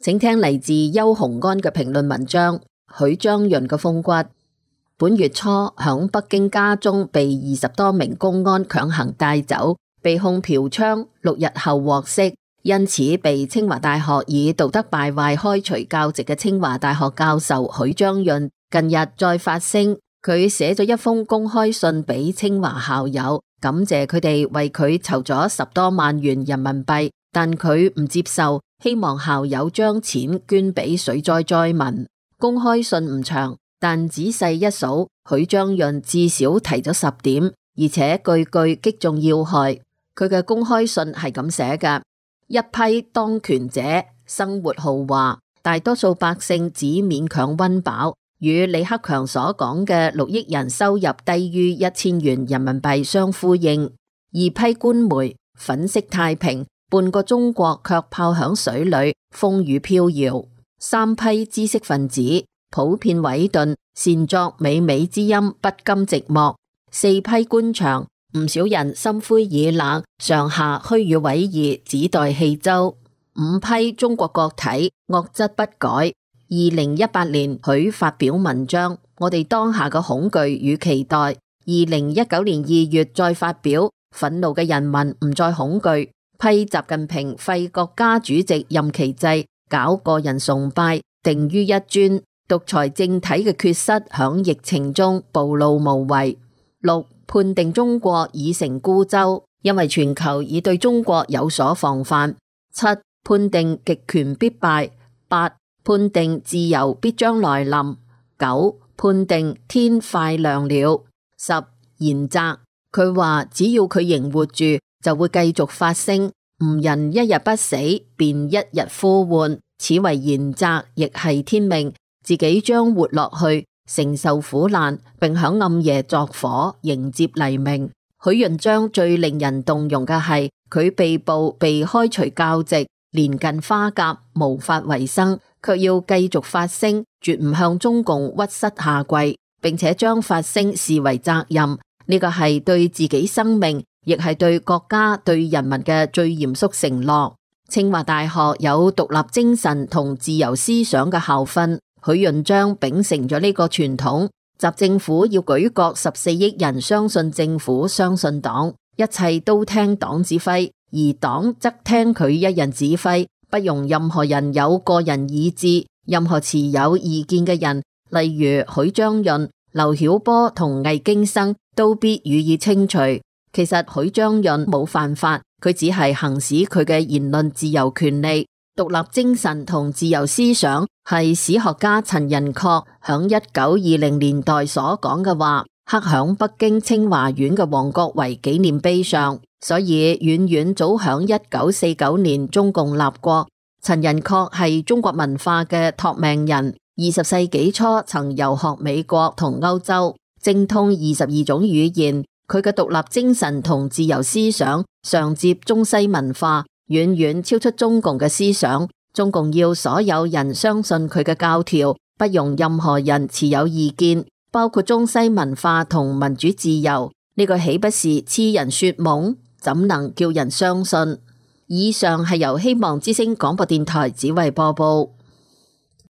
請聽嚟自邱鴻安嘅評論文章。許章潤嘅風骨。本月初響北京家中被20多名公安強行帶走，被控嫖娼，6日後獲釋，因此被清華大學以道德敗壞開除教職嘅清華大學教授許章潤近日再發聲，佢寫咗一封公開信俾清華校友，感謝佢哋為佢籌咗10多萬元人民幣，但佢唔接受，希望校友將錢捐俾水災災民。公開信唔長，但仔細一數，許章潤至少提咗10點，而且句句擊中要害。佢嘅公開信係咁寫嘅：一批當權者生活豪華，大多數百姓只勉強溫飽，與李克強所講嘅6億人收入低於1000元人民幣相呼應。二批官媒粉飾太平，半個中國卻泡響水裏，風雨飄搖。三批知識分子普遍萎頓，擅作靡靡之音，不甘寂寞。四批官場，唔少人心灰意冷，上下虛與委蛇，只待棄舟。五批中國國體，惡質不改。2018年許發表文章，我哋當下嘅恐懼與期待。2019年2月再發表，憤怒嘅人民唔再恐懼。批習近平廢國家主席任期制，搞個人崇拜，定於一尊，獨裁政體嘅缺失響疫情中暴露無遺。6. 判定中國已成孤舟，因為全球已對中國有所防範。7. 判定極權必敗。8. 判定自由必將來臨。9. 判定天快亮了。10. 言責，佢話只要佢仍活住，就會繼續發聲。吾人一日不死，便一日呼喚，此為言責，亦係天命。自己將活落去，承受苦難，並響暗夜作火，迎接黎明。許潤章最令人動容嘅係佢被捕被開除教籍，年近花甲，無法為生，卻要繼續發聲，絕唔向中共屈膝下跪，並且將發聲視為責任。呢個係對自己生命，亦係對國家對人民嘅最嚴肅承諾。清華大學有獨立精神同自由思想嘅校訓，許潤章秉承咗呢個傳統。習政府要舉國14億人相信政府，相信黨，一切都聽黨指揮，而黨則聽佢一人指揮，不容任何人有個人意志。任何持有意見嘅人，例如許章潤、劉曉波同魏京生，都必予以清除。其實許章潤冇犯法，佢只係行使佢嘅言論自由權利。獨立精神同自由思想係史學家陳寅恪響1920年代所講嘅話，刻響北京清華園嘅王國維紀念碑上，所以遠遠早響1949年中共立國。陳寅恪係中國文化嘅託命人，20世紀初曾遊學美國同歐洲，精通22種語言。佢嘅獨立精神同自由思想上接中西文化，遠遠超出中共嘅思想。中共要所有人相信佢嘅教條，不容任何人持有意見，包括中西文化同民主自由。呢個豈不是痴人說夢？怎能叫人相信？以上係由希望之聲廣播電台指揮播報。